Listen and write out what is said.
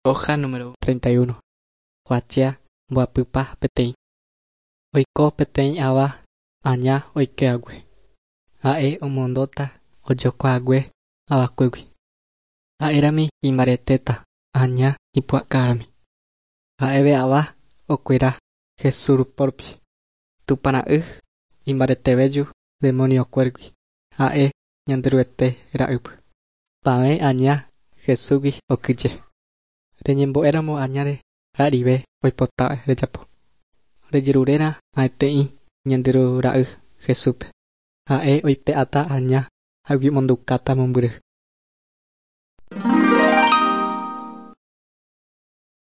Hoja número 31. Kuatia mbohapypa peteĩ. Oiko peteĩ ava aña oikehague. Ha'e omondóta ojokuaague avakuégui. Ha'érami imbaretéta aña ipu'akárami. Ha'eve ava okuera Jesús rupórupi. Tupãra'y imbaretevéju demoniokuéragui. Ha'e Ñanderuete ra'ýpy. Pavẽ aña Jesúsgui okyje. Reñembo'éramo añáre ha'erive oipota rejapo. Rejeruréra ha'eteĩ Ñanderu ra'y Jesúspe. Ha'e oipe'áta aña ha omondukáta mombyry.